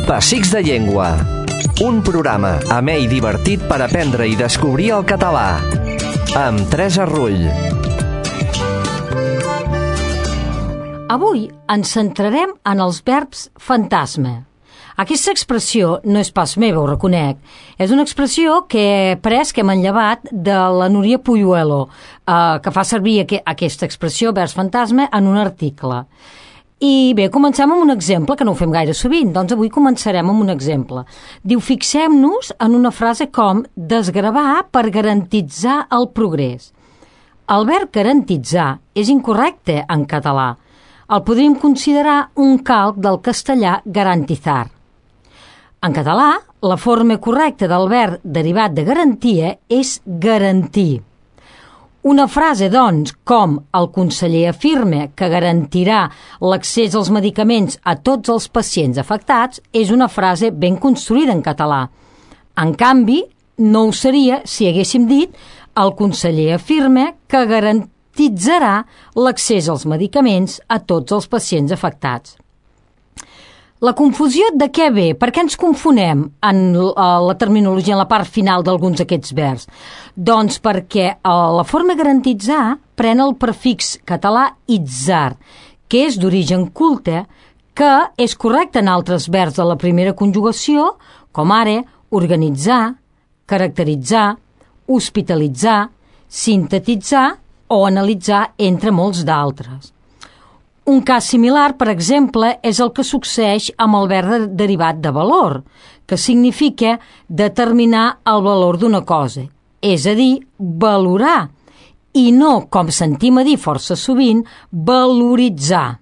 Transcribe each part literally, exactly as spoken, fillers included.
Pessics de Llengua. Un programa amè i divertit per aprendre i descobrir el català. Amb Teresa Rull. Avui ens centrarem en els verbs fantasma. Aquesta expressió no és pas meva, ho reconec. És una expressió que he pres, que hem enllavat de la Núria Puyuelo, eh, que fa servir aqu aquesta expressió, verbs fantasma, en un article. I bé, comencem amb un exemple, que no ho fem gaire sovint, doncs avui començarem amb un exemple. Diu, fixem-nos en una frase com desgravar per garantitzar el progrés. El verb garantitzar és incorrecte en català. El podríem considerar un calc del castellà garantizar. En català, la forma correcta del verb derivat de garantia és garantir. Una frase, doncs, com el conseller afirma que garantirà l'accés als medicaments a tots els pacients afectats, és una frase ben construïda en català. En canvi, no ho seria si haguéssim dit el conseller afirma que garantitzarà l'accés als medicaments a tots els pacients afectats. La confusió de què ve? Per què ens confonem en la terminologia, en la part final d'alguns d'aquests verbs? Doncs perquè la forma garantitzar pren el prefix català itzar, que és d'origen culte, que és correcte en altres verbs de la primera conjugació, com ara organitzar, caracteritzar, hospitalitzar, sintetitzar o analitzar, entre molts d'altres. Un cas similar, per exemple, és el que succeeix amb el verb derivat de valor, que significa determinar el valor d'una cosa, és a dir, valorar, i no, com sentim a dir força sovint, valoritzar.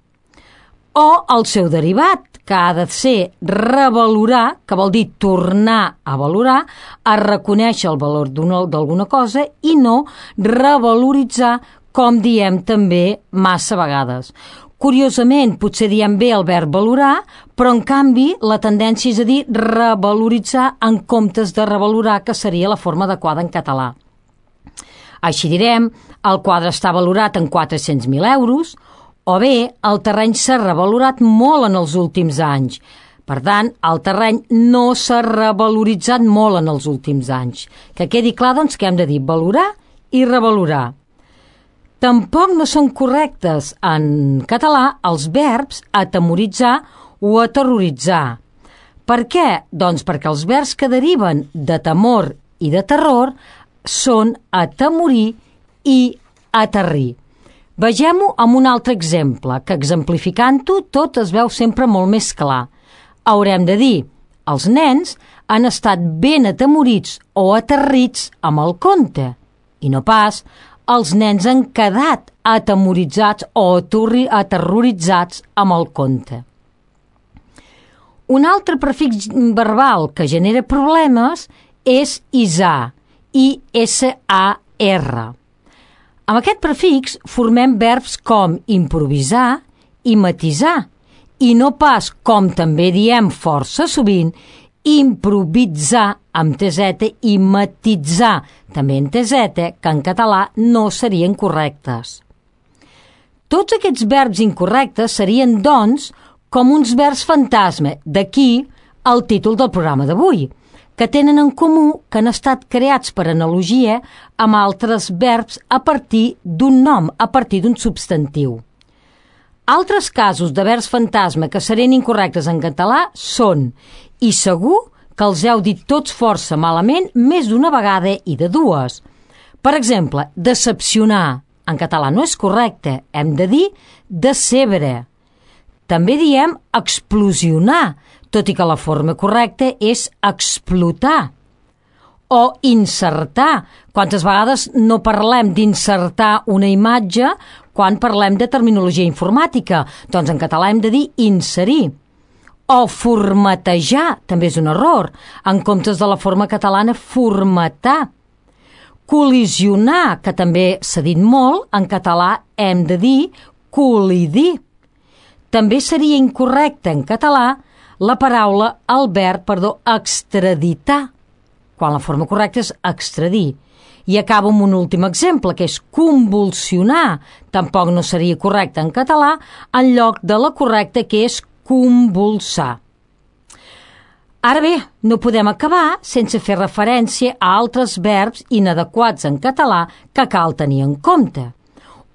O el seu derivat, que ha de ser revalorar, que vol dir tornar a valorar, a reconèixer el valor d'alguna cosa, i no revaloritzar, com diem també massa vegades. Curiosament, potser diem bé el verb valorar, però en canvi la tendència és a dir revaloritzar en comptes de revalorar, que seria la forma adequada en català. Així direm, el quadre està valorat en quatre-cents mil euros, o bé, el terreny s'ha revalorat molt en els últims anys. Per tant, el terreny no s'ha revaloritzat molt en els últims anys. Que quedi clar, doncs, que hem de dir valorar i revalorar. Tampoc no són correctes en català els verbs atemoritzar o aterroritzar. Per què? Doncs perquè els verbs que deriven de temor i de terror són atemorir i aterrir. Vegem-ho amb un altre exemple, que exemplificant-ho tot es veu sempre molt més clar. Haurem de dir, els nens han estat ben atemorits o aterrits amb el conte, i no pas els nens han quedat atemoritzats o aterroritzats amb el conte. Un altre prefix verbal que genera problemes és isar, i essa a erre. Amb aquest prefix formem verbs com improvisar i matisar, i no pas, com també diem força sovint, improvisar amb teseta i matitzar, també en teseta, que en català no serien correctes. Tots aquests verbs incorrectes serien, doncs, com uns verbs fantasma, d'aquí el títol del programa d'avui, que tenen en comú que han estat creats per analogia amb altres verbs a partir d'un nom, a partir d'un substantiu. Altres casos de verbs fantasma que serien incorrectes en català són, i segur que els heu dit tots força malament més d'una vegada i de dues. Per exemple, decepcionar. En català no és correcte, hem de dir decebre. També diem explosionar, tot i que la forma correcta és explotar. O insertar. Quantes vegades no parlem d'insertar una imatge quan parlem de terminologia informàtica? Doncs en català hem de dir inserir. O formatejar, també és un error, en comptes de la forma catalana formatar. Col·lisionar, que també s'ha dit molt, en català hem de dir col·lidir. També seria incorrecte en català la paraula, el verb, perdó, extraditar, quan la forma correcta és extradir. I acabo amb un últim exemple, que és convulsionar. Tampoc no seria correcte en català, en lloc de la correcta, que és convulsar. Ara bé, no podem acabar sense fer referència a altres verbs inadequats en català que cal tenir en compte.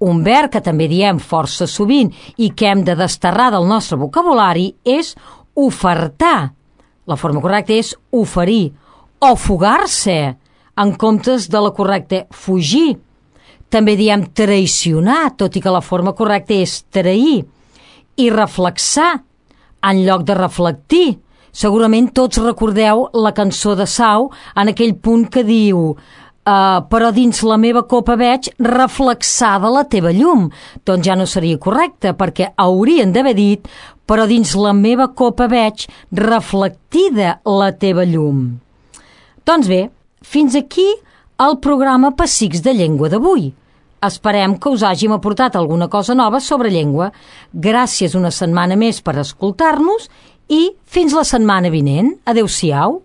Un verb que també diem força sovint i que hem de desterrar del nostre vocabulari és ofertar. La forma correcta és oferir o fugar-se, en comptes de la correcta fugir. També diem traicionar, tot i que la forma correcta és trair. I reflexar, en lloc de reflectir. Segurament tots recordeu la cançó de Sau en aquell punt que diu uh, però dins la meva copa veig reflexada la teva llum. Doncs ja no seria correcte, perquè haurien d'haver dit però dins la meva copa veig reflectida la teva llum. Doncs bé, fins aquí el programa Pessics de Llengua d'avui. Esperem que us hàgim aportat alguna cosa nova sobre llengua. Gràcies una setmana més per escoltar-nos i fins la setmana vinent. Adéu-siau.